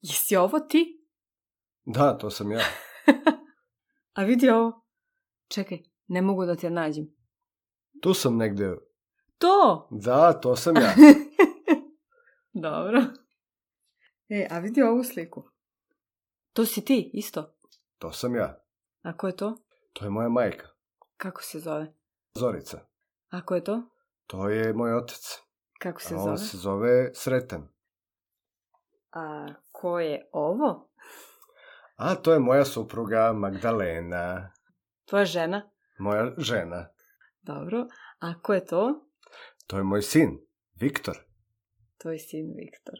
Jesi ovo ti? Da, to sam ja. A vidi ovo. Čekaj, ne mogu da te nađem. Tu sam negde. To! Da, to sam ja. Dobro. A vidi ovu sliku. To si ti, isto? To sam ja. A ko je to? To je moja majka. Kako se zove? Zorica. A ko je to? To je moj otac. Kako se On zove? se zove Sretan. A ko je ovo? A to je moja supruga Magdalena. Tvoja žena? Moja žena. Dobro. A ko je to? To je moj sin, Viktor. Tvoj sin Viktor.